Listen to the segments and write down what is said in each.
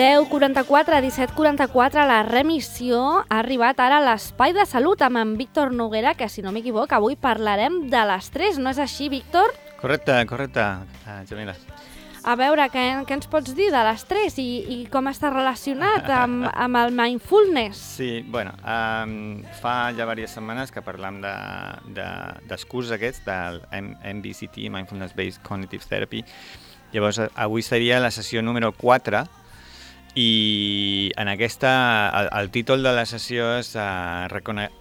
10:44 a 17:44, la remissió ha arribat ara a l'Espai de Salut amb en Víctor Noguera, que si no m'equivoc avui parlarem de l'estrès, no és així, Víctor? Correcte, Jamila. A veure, què ens pots dir de l'estrès i com està relacionat amb el mindfulness? Sí, bueno, fa ja diverses setmanes que parlam dels curs aquests del MBCT, Mindfulness Based Cognitive Therapy. Llavors, avui seria la sessió número 4 i en aquesta, el títol de la sessió és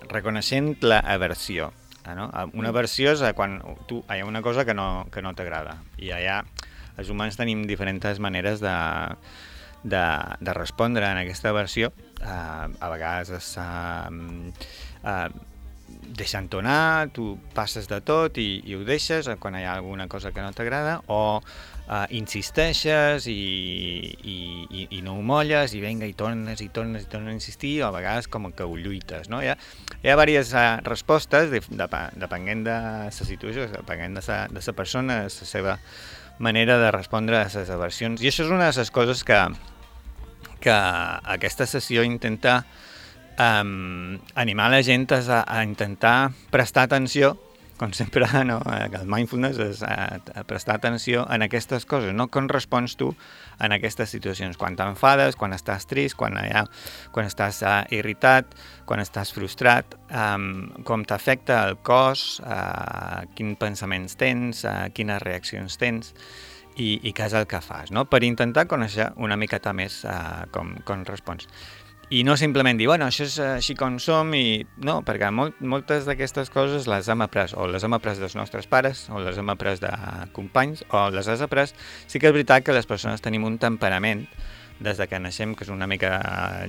Reconeixent l'aversió. No? Una aversió és quan hi ha una cosa que no t'agrada i allà els humans tenim diferents maneres de respondre en aquesta aversió. A vegades és deixant-ho anar, tu passes de tot i ho deixes quan hi ha alguna cosa que no t'agrada, o insisteixes i no ho molles i vinga i tornes a insistir, o a vegades com que ho lluites, no? Hi ha diverses respostes depenent de la situació, depenent de la persona, de la seva manera de respondre a les aversions. I això és una de les coses que aquesta sessió intenta animar la gent a intentar prestar atenció, com sempre, no? El mindfulness és prestar atenció en aquestes coses, no com respons tu en aquestes situacions, quan t'enfades, quan estàs trist, quan estàs irritat, quan estàs frustrat, com t'afecta el cos, quins pensaments tens, quines reaccions tens i què és el que fas, no? Per intentar conèixer una miqueta més com respons. I no simplement dir, bueno, això és així com som, i no, perquè moltes d'aquestes coses les hem après, o les hem après dels nostres pares, o les hem après de companys, o les has après. Sí que és veritat que les persones tenim un temperament des de que naixem, que és una mica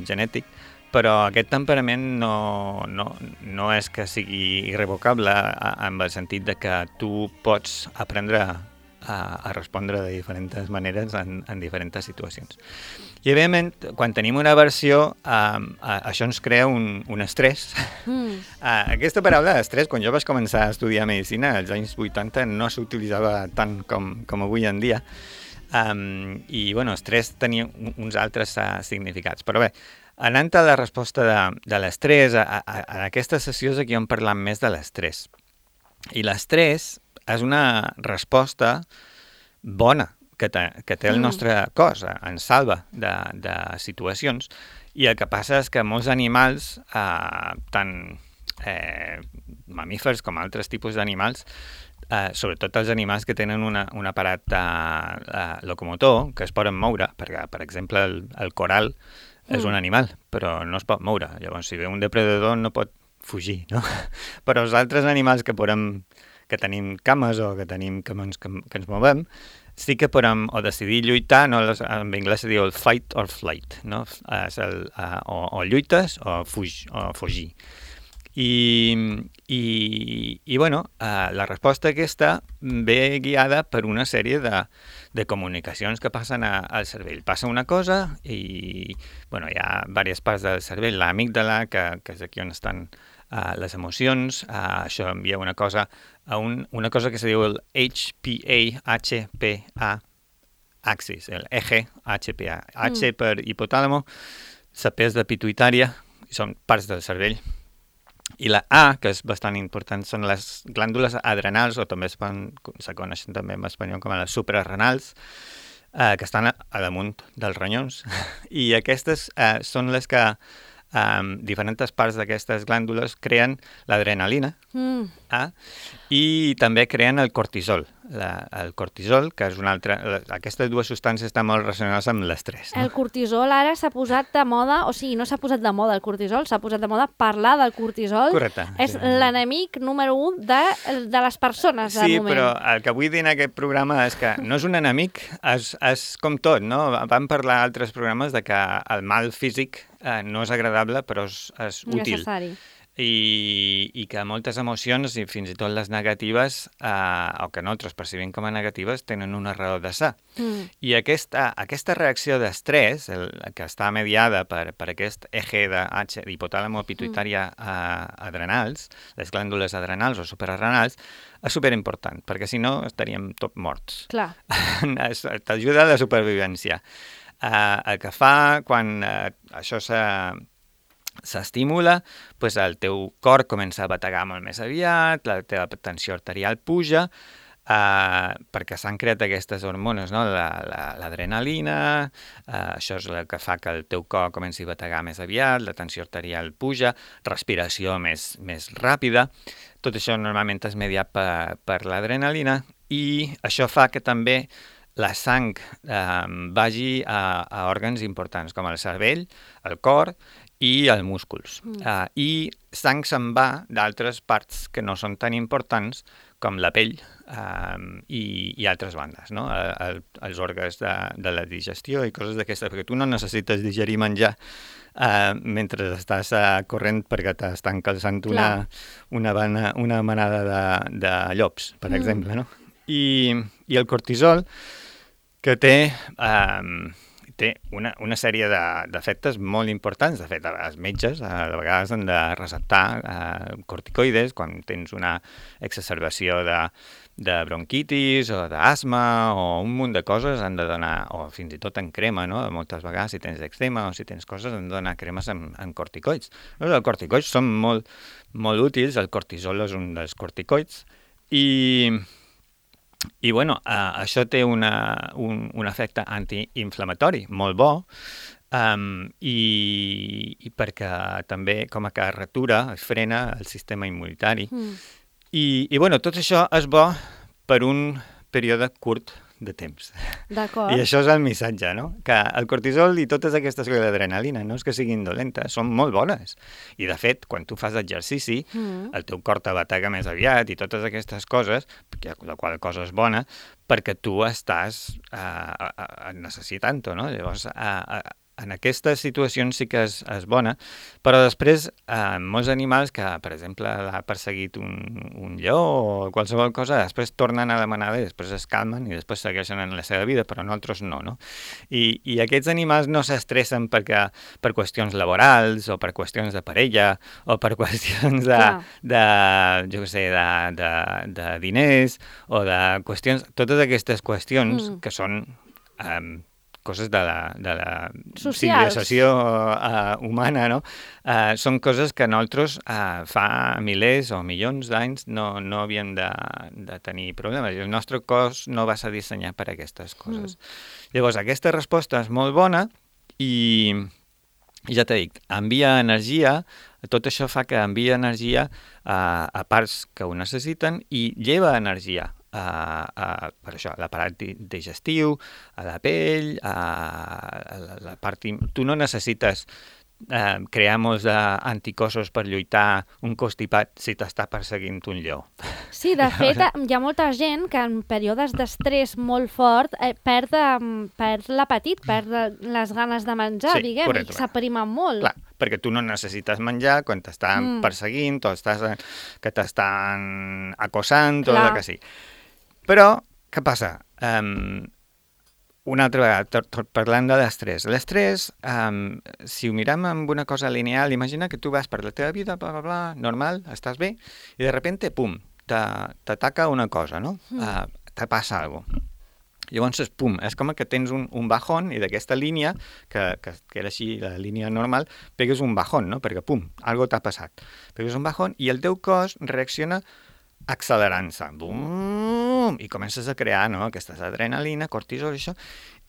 genètic, però aquest temperament no és que sigui irrevocable en el sentit de que tu pots aprendre a respondre de diferents maneres en diferents situacions. I, evidentment, quan tenim una aversió, això ens crea un estrès. Aquesta paraula estrès, quan jo vaig començar a estudiar medicina, als anys 80, no s'utilitzava tant com avui en dia. I, bueno, estrès tenia uns altres significats. Però bé, anant a la resposta de l'estrès, en aquesta sessió és aquí on parlam més de l'estrès. I l'estrès és una resposta bona que té el nostre cos, ens salva de situacions, i el que passa és que molts animals, tant mamífers com altres tipus d'animals, sobretot els animals que tenen un aparat locomotor, que es poden moure, perquè, per exemple, el coral és un animal, però no es pot moure. Llavors, si ve un depredador no pot fugir, no? Però els altres animals que tenim cames o que tenim que ens movem, sí que podem o decidir lluitar, no? En anglès se diu el fight or flight, no? O lluites o fugir. I bueno, la resposta aquesta ve guiada per una sèrie de comunicacions que passen al cervell. Passa una cosa i bueno, hi ha diverses parts del cervell, l'amígdala, que és aquí on estan les emocions, això envia una cosa a una cosa que se diu el HPA axis, el eje HPA. H per hipotàlamo, la P és de pituïtària, són parts del cervell. I la A, que és bastant important, són les glàndules adrenals, o també se coneixen també en espanyol com a les suprarrenals, que estan a damunt dels ronyons. I aquestes són les que diferents parts d'aquestes glàndules creen l'adrenalina i també creen el cortisol. El cortisol, que és una altra... Aquestes dues substàncies estan molt relacionades amb l'estrès. No? El cortisol ara s'ha posat de moda, o sigui, no s'ha posat de moda el cortisol, s'ha posat de moda parlar del cortisol. Correcte. És l'enemic número 1 de les persones, de moment. Sí, però el que vull dir en aquest programa és que no és un enemic, és com tot, no? Vam parlar a altres programes de que el mal físic no és agradable, però és útil. Necessari. I que moltes emocions, i fins i tot les negatives, o que nosaltres percibim com a negatives, tenen una raó de ser. I aquesta reacció d'estrès, que està mediada per aquest eje d'hipotàlamo pituïtària adrenals, les glàndules adrenals o suprarrenals, és superimportant, perquè si no estaríem tot morts. Clar. T'ajuda a la supervivència. el que fa quan això s'estimula, doncs el teu cor comença a bategar molt més aviat, la teva tensió arterial puja, perquè s'han creat aquestes hormones, no? L'adrenalina, això és el que fa que el teu cor comenci a bategar més aviat, la tensió arterial puja, respiració més ràpida, tot això normalment és mediat per l'adrenalina i això fa que també la sang vagi a òrgans importants com el cervell, el cor i els músculs. I sang se'n va d'altres parts que no són tan importants com la pell i altres bandes, no? Els òrgans de la digestió i coses d'aquestes, perquè tu no necessites digerir menjar mentre estàs corrent perquè t'estan calçant una manada de llops, per exemple, no? I el cortisol, que té una sèrie d'efectes molt importants. De fet, els metges a vegades han de receptar corticoides quan tens una exacerbació de bronquitis o d'asma o un munt de coses han de donar, o fins i tot en crema, no? Moltes vegades si tens eczema o si tens coses han de donar cremes amb corticoids. Els corticoids són molt, molt útils, el cortisol és un dels corticoids i bueno, això té un efecte antiinflamatori molt bo i perquè també com a carretura es frena el sistema immunitari. I bueno, tot això és bo per un període curt de temps. D'acord. I això és el missatge, no? Que el cortisol i totes aquestes coses d'adrenalina no és que siguin dolentes, són molt bones. I de fet, quan tu fas exercici, el teu cor te batega més aviat i totes aquestes coses, la qual cosa és bona, perquè tu estàs necessitant-ho, no? Llavors, en aquestes situacions sí que és bona, però després molts animals que, per exemple, l'ha perseguit un lleó o qualsevol cosa, després tornen a la manada i després es calmen i després segueixen en la seva vida, però nosaltres no? I aquests animals no s'estressen per qüestions laborals o per qüestions de parella o per qüestions de diners o de qüestions, totes aquestes qüestions que són coses de la civilització humana, no? Són coses que nosaltres fa milers o milions d'anys no havíem de tenir problemes. I el nostre cos no va ser dissenyat per a aquestes coses. Llavors, aquesta resposta és molt bona i ja t'he dit, envia energia, tot això fa que envia energia a parts que ho necessiten i lleva energia per això, a l'aparat digestiu, a la pell, a la part... Tu no necessites crear molts anticossos per lluitar un constipat si t'està perseguint un lleó. Sí, de fet, hi ha molta gent que en períodes d'estrès molt fort perd l'apetit, perd les ganes de menjar, sí, diguem, correcte. i s'aprima molt. Clar, perquè tu no necessites menjar quan t'estan perseguint o que t'estan acossant o el que sigui. Però, què passa? Una altra vegada, parlant de l'estrès. L'estrès, si ho mirem amb una cosa lineal, imagina que tu vas per la teva vida, bla, bla, bla, normal, estàs bé, i de repente, pum, t'ataca una cosa, no? Te passa alguna cosa. Llavors, pum, és com que tens un bajón i d'aquesta línia, que era així, la línia normal, pegues un bajón, no? Perquè, pum, algo t'ha passat. Pegues un bajón i el teu cos reacciona accelerant-se, bum, i comences a crear, no?, aquestes adrenalina, cortisol, això,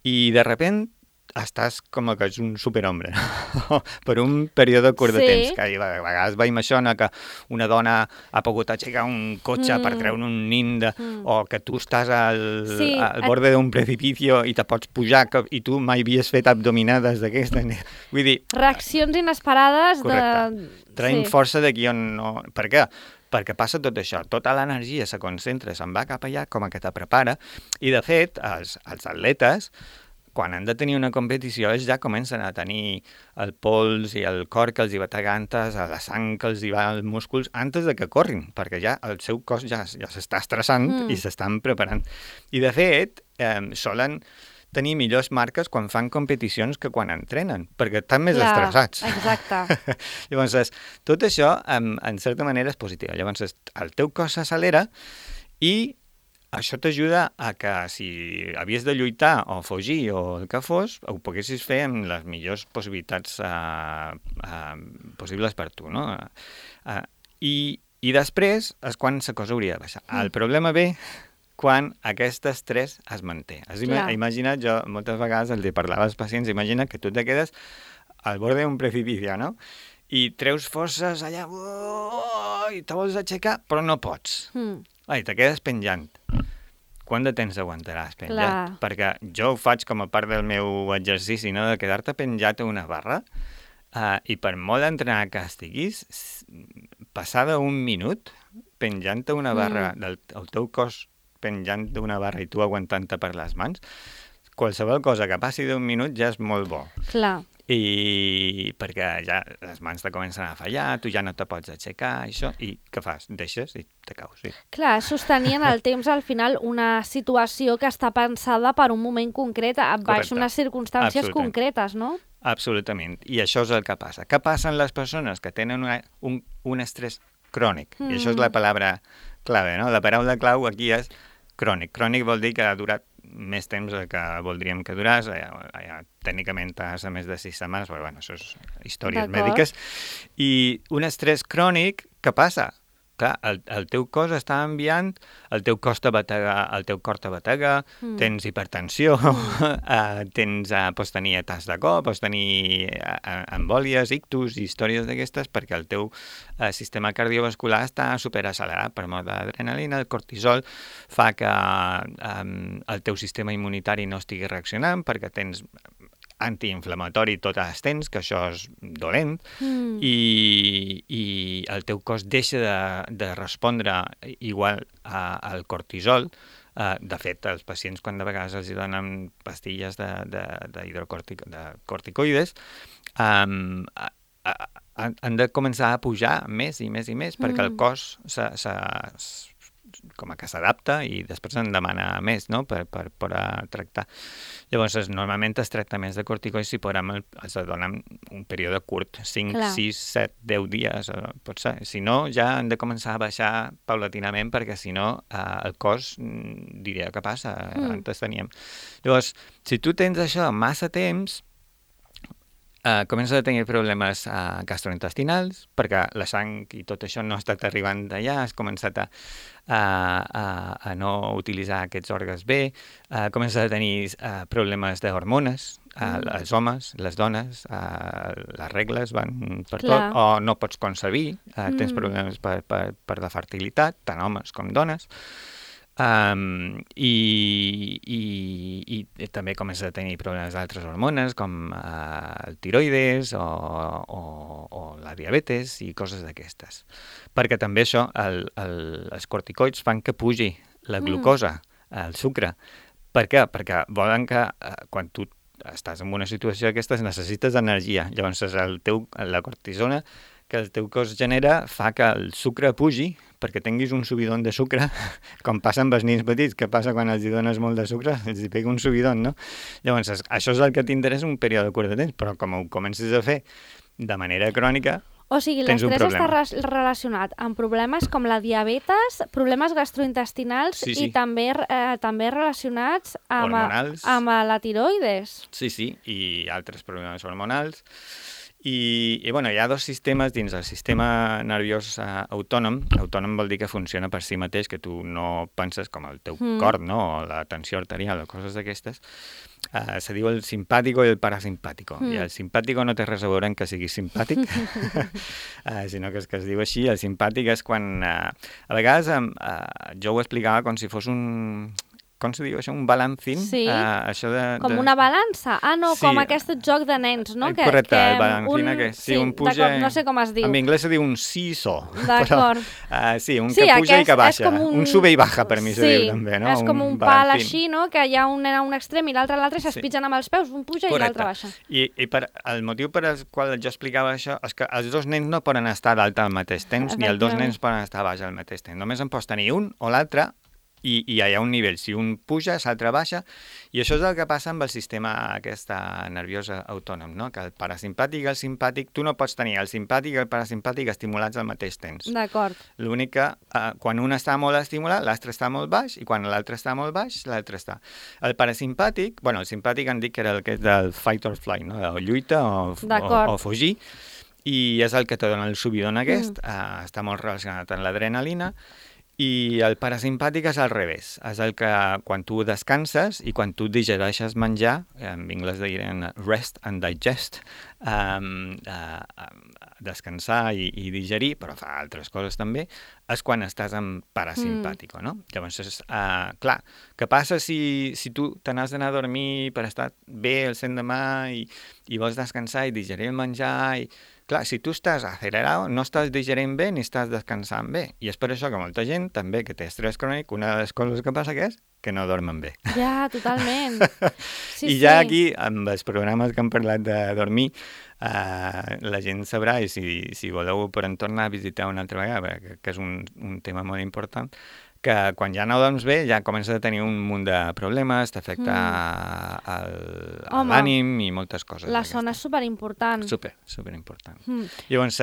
i de repent estàs com que ets un superhombre, no? Per un període curt de temps, que a vegades veiem això, no? Que una dona ha pogut aixecar un cotxe per treure un nin, o que tu estàs al borde d'un precipicio i te pots pujar i tu mai havies fet abdominades d'aquestes. Vull dir... Reaccions inesperades correcte. Traiem força d'aquí on no... Per què? Perquè passa tot això, tota l'energia se concentra, se'n va cap allà, com que te prepara, i de fet, els atletes, quan han de tenir una competició, ells ja comencen a tenir el pols i el cor que els hi va tagantes, la sang que els hi va als músculs, antes de que corrin, perquè ja el seu cos ja s'està estressant i s'estan preparant. I de fet, solen tenir millors marques quan fan competicions que quan entrenen, perquè estan més estressats. Exacte. Llavors, tot això, en certa manera, és positiu. Llavors, el teu cos s'accelera i això t'ajuda a que si havies de lluitar o fugir o el que fos, ho poguessis fer amb les millors possibilitats possibles per tu, no? I després és quan la cosa hauria de baixar. El problema ve quan aquest estrès es manté. Has imaginat, jo moltes vegades els parlava als pacients, imagina que tu te quedes al borde d'un precipici, no? I treus forces allà, i te vols aixecar, però no pots. I te quedes penjant. Quant de temps aguantaràs penjat? Perquè jo ho faig com a part del meu exercici, no? De quedar-te penjat a una barra, i per molt entrenar que estiguis, passada un minut penjant a una barra, el teu cos penjant d'una barra i tu aguantant-te per les mans, qualsevol cosa que passi d'un minut ja és molt bo. Clar. I perquè ja les mans te comencen a fallar, tu ja no te pots aixecar, això, i què fas? Deixes i te caus. Sí. Clar, sostenir en el temps al final una situació que està pensada per un moment concret, baix unes circumstàncies concretes, no? Absolutament, i això és el que passa. Què passa amb les persones que tenen un estrès crònic? I això és la paraula clave, no? La paraula clau aquí és crònic. Crònic vol dir que ha durat més temps del que voldríem que duràs, tècnicament a més de 6 setmanes, però bueno, això és històries mèdiques. I un estrès crònic, què passa? Clar, el teu cos està enviant, el teu cor te batega, tens hipertensió, pots tenir atacs de cor, pots tenir embòlies, ictus, històries d'aquestes, perquè el teu sistema cardiovascular està superaccelerat per mort d'adrenalina, el cortisol fa que el teu sistema immunitari no estigui reaccionant, perquè tens antiinflamatori tot el temps, que això és dolent, i el teu cos deixa de respondre igual al cortisol. De fet, els pacients, quan de vegades els donen pastilles de corticoides, han de començar a pujar més i més i més, perquè el cos com que s'adapta i després en demana més, no?, per tractar. Llavors, normalment els tractaments de corticoides es donen un període curt, 5, 6, 7, 10 dies, potser. Si no, ja han de començar a baixar paulatinament, perquè si no, el cos diria què passa, antes teníem. Llavors, si tu tens això massa temps, comences a tenir problemes gastrointestinals, perquè la sang i tot això no ha estat arribant d'allà, has començat a no utilitzar aquests òrgans bé, comences a tenir problemes d'hormones, els homes, les dones, les regles van per tot, o no pots concebir, tens problemes per la fertilitat, tant homes com dones, i també comença a tenir problemes d'altres hormones com el tiroides o la diabetes i coses d'aquestes. Perquè també això, els corticoids fan que pugi la glucosa, el sucre. Per què? Perquè volen que quan tu estàs en una situació d'aquestes necessites energia. Llavors la cortisona que el teu cos genera fa que el sucre pugi perquè tinguis un subidon de sucre, com passa amb els nens petits, que passa quan els dones molt de sucre, els pega un subidon, no? Llavors, això és el que t'interessa un període curt de temps, però com ho comences a fer de manera crònica, o sigui, l'estrès està relacionat amb problemes com la diabetes, problemes gastrointestinals i també relacionats amb la tiroides. Sí, i altres problemes hormonals. I bueno, hi ha dos sistemes dins el sistema nerviós autònom. Autònom vol dir que funciona per si mateix, que tu no penses com el teu cor, no? O la tensió arterial o coses d'aquestes. Se diu el simpàtico i el parasimpàtico. I el simpàtico no té res a veure en que siguis simpàtic, sinó que es diu així. El simpàtic és quan... a vegades jo ho explicava com si fos un... Com se diu això? Un balancín? Sí, com una balança. No, com aquest joc de nens, no? Correcte, el balancín, sí, un puja... No sé com es diu. En anglès se diu un seesaw. D'acord. Sí, un que puja i que baixa. Un sube i baja, per mi se diu també, no? És com un pal així, no? Que hi ha un nen a un extrem i l'altre a l'altre i s'espitgen amb els peus, un puja i l'altre baixa. I el motiu per al qual jo explicava això és que els dos nens no poden estar dalt al mateix temps, ni els dos nens poden estar baix al mateix temps. Només en pots tenir un o l'altre i hi ha un nivell. Si un puja, l'altre baixa, i això és el que passa amb el sistema aquest nerviós autònom, no? Que el parasimpàtic i el simpàtic, tu no pots tenir el simpàtic i el parasimpàtic estimulats al mateix temps. D'acord. L'únic que quan un està molt estimulat, l'altre està molt baix, i quan l'altre està molt baix, l'altre està. El parasimpàtic, el simpàtic han dit que era el que és del fight or flight, no? O lluita o fugir, i és el que te dona el subidon aquest, està molt relacionat amb l'adrenalina, i el parasimpàtic és al revés, és el que quan tu descanses i quan tu digereixes menjar, en anglès diuen rest and digest, descansar i digerir, però fa altres coses també, és quan estàs en parasimpàtico, no? Llavors, clar, què passa si tu te n'has d'anar a dormir per estar bé el l'endemà i vols descansar i digerir el menjar i... Clar, si tu estàs acelerat, no estàs digerint bé ni estàs descansant bé. I és per això que molta gent, també, que té estrès crònic, una de les coses que passa és que no dormen bé. Ja, totalment. I ja aquí, amb els programes que hem parlat de dormir, la gent sabrà, i si voleu podem tornar a visitar una altra vegada, que és un tema molt important, que quan ja no dorms bé ja comences a tenir un munt de problemes, t'afecta l'ànim i moltes coses. La son és superimportant. Superimportant. Llavors,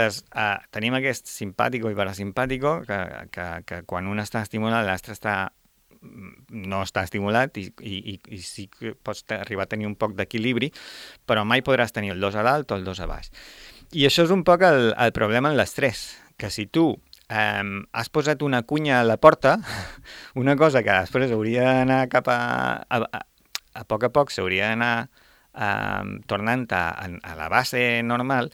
tenim aquest simpàtico i parasimpàtico, que quan un està estimulat, l'altre no està estimulat i sí que pots arribar a tenir un poc d'equilibri, però mai podràs tenir el dos a dalt o el dos a baix. I això és un poc el problema en l'estrès, que si tu has posat una cunya a la porta, una cosa que després hauria d'anar cap a poc s'hauria d'anar tornant a la base normal,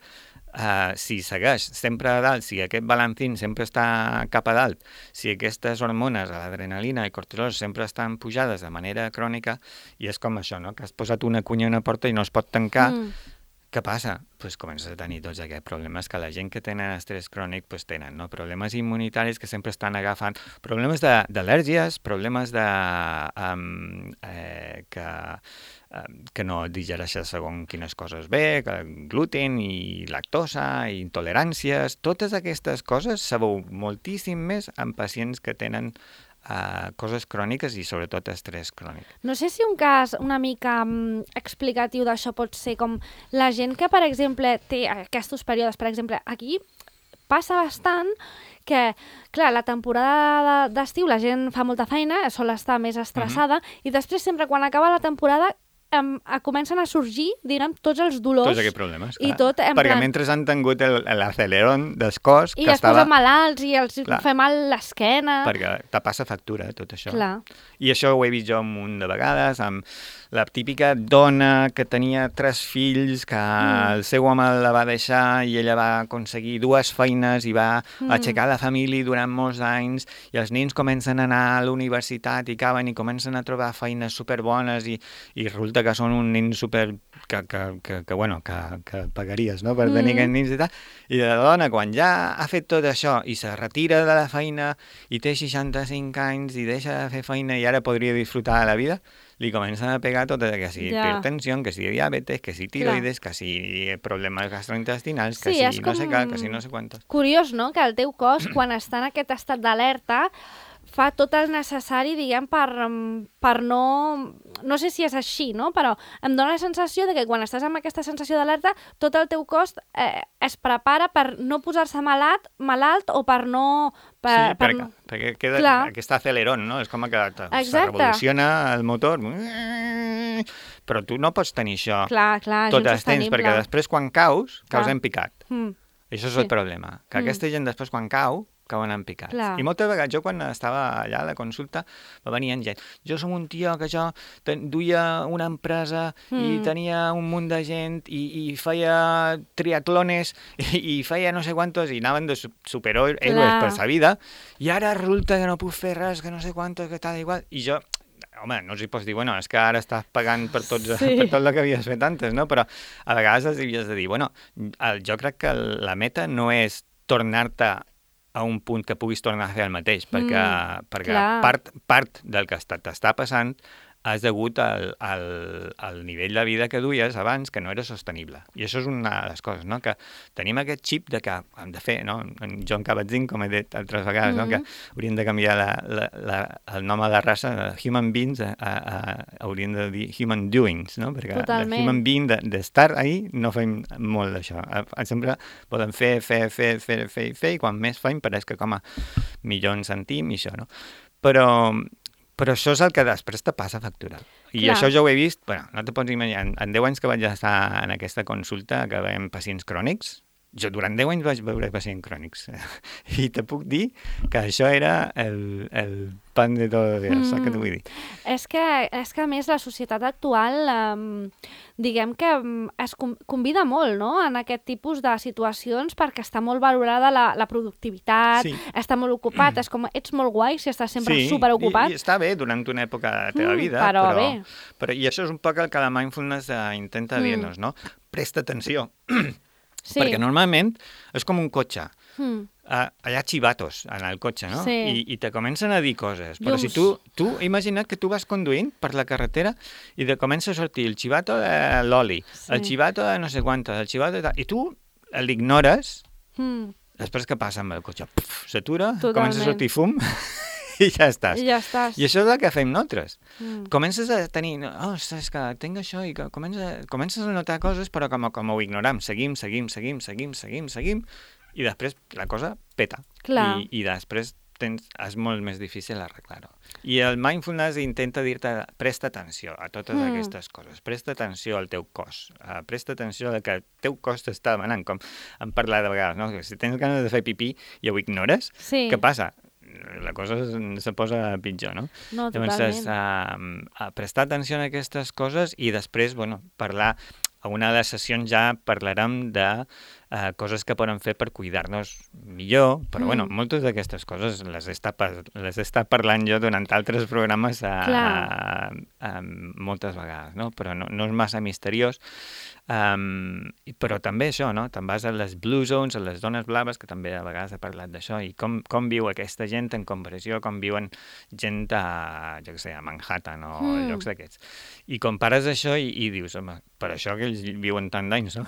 si segueix sempre a dalt, si aquest balancín sempre està cap a dalt, si aquestes hormones, l'adrenalina i cortisol sempre estan pujades de manera crònica, i és com això, no? Que has posat una cunya a una porta i no es pot tancar, què passa? Pues comences a tenir tots aquests problemes que la gent que tenen estrès crònic pues tenen, no? Problemes immunitaris que sempre estan agafant, problemes d'al·lèrgies, problemes que no digereixes segons quines coses bé, gluten i lactosa, i intoleràncies, totes aquestes coses se veu moltíssim més en pacients que tenen coses cròniques i sobretot estrès crònic. No sé si un cas una mica explicatiu d'això pot ser com la gent que, per exemple, té aquests períodes, per exemple, aquí passa bastant que, clar, la temporada d'estiu la gent fa molta feina, sol estar més estressada, i després sempre quan acaba la temporada comencen a sorgir, diguem, tots els dolors. Tots aquests problemes, clar. I tot, perquè mentre han tingut l'acelerón del cos... I es posen malalts i els fa mal l'esquena... Perquè te passa factura, tot això. Clar. I això ho he vist jo un munt de vegades, amb la típica dona que tenia 3 fills, que el seu home la va deixar i ella va aconseguir 2 feines i va aixecar la família durant molts anys, i els nens comencen a anar a la universitat i acaben i comencen a trobar feines superbones i resulta que són un nen super... que pagaries, no?, per tenir aquests nens i tal. I la dona, quan ja ha fet tot això i se retira de la feina i té 65 anys i deixa de fer feina i ara podria disfrutar de la vida, li comencen a pegar tot, que si hipertensió, que si diabetes, que si tiroides, que si problemes gastrointestinals, que si no sé què, que si no sé quantos. Curiós, no?, que el teu cos, quan està en aquest estat d'alerta, fa tot el necessari, diguem, per no... No sé si és així, no?, però em dóna la sensació de que quan estàs amb aquesta sensació d'alerta, tot el teu cos es prepara per no posar-se malalt o per no... perquè queda aquest acelerón, no? És com que se revoluciona el motor, però tu no pots tenir això tot el temps, perquè després quan caus en picat. Això és el problema, que aquesta gent després quan cauen en picats. I moltes vegades, jo quan estava allà a la consulta, va venir gent. Jo som un tio que jo duia una empresa i tenia un munt de gent i feia triatlones i feia no sé quantos i anaven de superhéroes per sa vida i ara resulta que no puc fer res, que no sé quantos, que tal igual. I jo, home, no els pots dir, bueno, és que ara estàs pagant per tot el que havies fet antes, no? Però a vegades els havies de dir, bueno, jo crec que la meta no és tornar-te a un punt que puguis tornar a fer el mateix, perquè part del que t'està passant és degut al nivell de vida que duies abans, que no era sostenible. I això és una de les coses, no? Que tenim aquest xip de que hem de fer, no? En John Kabat-Zinn, com he dit altres vegades, no? Que hauríem de canviar el nom a la raça de human beings hauríem de dir human doings, no? Perquè Totalment. de human being, d'estar ahí, no fem molt d'això. Sempre podem fer, i quan més fem pareix que com a millor ens sentim i això, no? Però això és el que després te passa a factura. I Clar. això jo ho he vist, bueno, no te pots imaginar, en 10 anys que vaig estar en aquesta consulta, que veiem pacients crònics, jo durant 10 anys vaig veure pacients crònics. I te puc dir que això era el pan de tots els dies, saps què t'ho vull dir? És que a més la societat actual, diguem que es convida molt, no?, en aquest tipus de situacions perquè està molt valorada la productivitat, està molt ocupat, és com, ets molt guai si estàs sempre superocupat. I està bé durant una època de la teva vida, però i això és un poc el que la mindfulness intenta dir-nos, no? Presta atenció. Sí. Perquè normalment és com un cotxe. Hi ha xivatos en el cotxe, no? Sí. I te comencen a dir coses. Però si tu imagina't que tu vas conduint per la carretera i te comença a sortir el xivato de l'oli, el xivato de no sé quantes, el xivato de tal, i tu l'ignores, després què passa amb el cotxe? S'atura, comença a sortir fum... I ja estàs. I això és el que fem nosaltres. Comences a tenir... és que tinc això i comences a notar coses, però com ho ignoram. Seguim, i després la cosa peta. Clar. I després és molt més difícil arreglar-ho. I el mindfulness intenta dir-te presta atenció a totes aquestes coses. Presta atenció al teu cos. Presta atenció al que el teu cos t'està demanant. Com hem parlat de vegades, no? Si tens ganes de fer pipí i ho ignores, què passa? La cosa se posa pitjor, no? No, totalment. Llavors, prestar atenció a aquestes coses i després, parlar, a una de les sessions ja parlarem de coses que podem fer per cuidar-nos millor, però moltes d'aquestes coses les he estat parlant jo durant altres programes moltes vegades, no? Però no és massa misteriós. Però també això, no? Te'n vas a les blue zones, a les zones blaves, que també a vegades he parlat d'això, i com viu aquesta gent en comparació com viuen gent a Manhattan o llocs d'aquests. I compares això i dius, home, per això que ells viuen tant d'anys, no?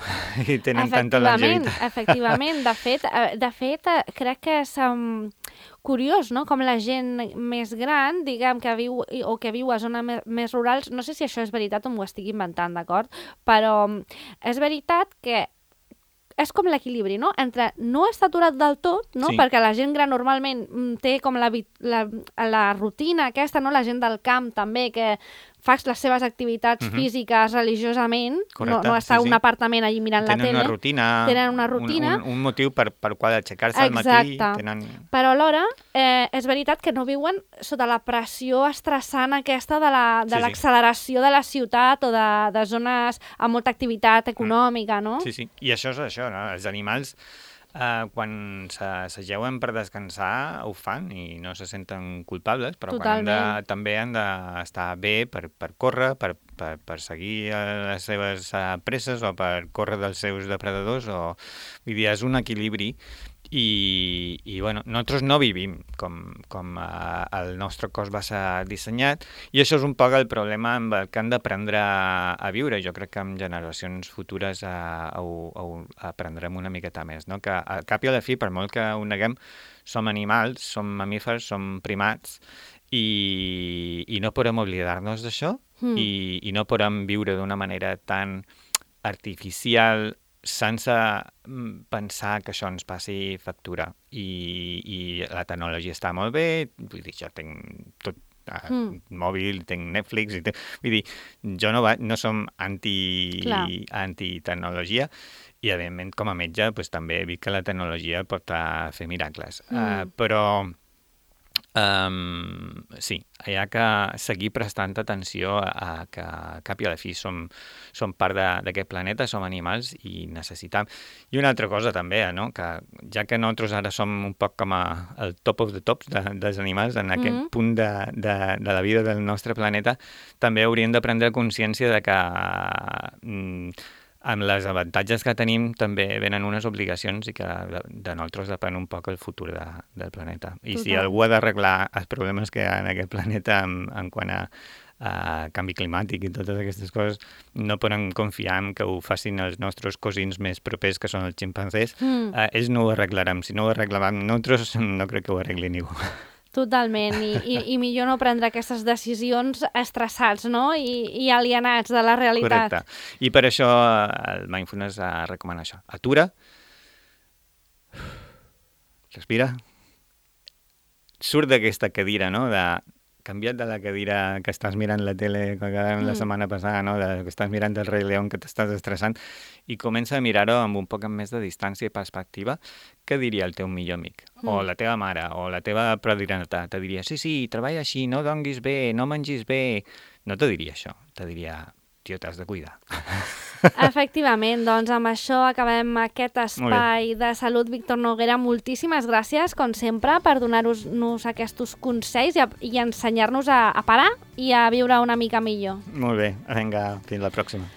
I tenen tanta longevitat. Efectivament. De fet, crec que és curiós, no?, com la gent més gran, diguem, que viu a zones més rurals, no sé si això és veritat o m'ho estic inventant, d'acord? Però és veritat que és com l'equilibri, no?, entre no estar aturat del tot, no?, perquè la gent gran normalment té com la rutina aquesta, no?, la gent del camp també, que fas les seves activitats físiques religiosament, no està un apartament allí mirant la tele. Tenen una rutina. Un motiu per qual aixecar-se al matí. Però alhora és veritat que no viuen sota la pressió estressant aquesta de l'acceleració de la ciutat o de zones amb molta activitat econòmica, no? Sí. I això és això, no? Els animals quan s'ajeuen per descansar ho fan i no se senten culpables, però també han d'estar bé per córrer, per seguir les seves presses o per córrer dels seus depredadors. Vull dir, és un equilibri i nosaltres no vivim com el nostre cos va ser dissenyat i això és un poc el problema amb el que han d'aprendre a viure. Jo crec que en generacions futures ho aprendrem una miqueta més, no? Que al cap i a la fi, per molt que ho neguem, som animals, som mamífers, som primats i no podem oblidar-nos d'això i no podem viure d'una manera tan artificial sense pensar que això ens passi factura. I la tecnologia està molt bé, vull dir, jo tinc tot mòbil, tinc Netflix, vull dir, jo no som anti-tecnologia i, evidentment, com a metge, també he vist que la tecnologia pot fer miracles. Però sí, hi ha que seguir prestant atenció a que cap i a la fi som part d'aquest planeta, som animals i necessitam. I una altra cosa també, no? Que ja que nosaltres ara som un poc com el top of the tops dels animals en aquest punt de la vida del nostre planeta, també hauríem de prendre consciència de que amb les avantatges que tenim també venen unes obligacions i que de nosaltres depèn un poc el futur del planeta. I si algú ha d'arreglar els problemes que hi ha en aquest planeta en quant a canvi climàtic i totes aquestes coses, no podem confiar en que ho facin els nostres cosins més propers, que són els ximpanzés. Ells no ho arreglaran. Si no ho arreglaran nosaltres, no crec que ho arregli ningú. Totalment, i millor no prendre aquestes decisions estressats, no? I alienats de la realitat. Correcte. I per això el mindfulness recomana això. Atura, respira, surt d'aquesta cadira, no?, canvia't de la cadira que estàs mirant la tele que quedàvem la setmana passada, no?, que estàs mirant el Rei León, que t'estàs estressant, i comença a mirar-ho amb un poc més de distància i perspectiva. Què diria el teu millor amic? O la teva mare, o la teva progenitora? Te diria, sí, treballa així, no donguis bé, no mengis bé. No te diria això, te diria, tio, t'has de cuidar. Efectivament, doncs amb això acabem aquest espai de salut. Víctor Noguera, moltíssimes gràcies, com sempre, per donar-nos aquests consells i ensenyar-nos a parar i a viure una mica millor. Molt bé, vinga, fins la pròxima.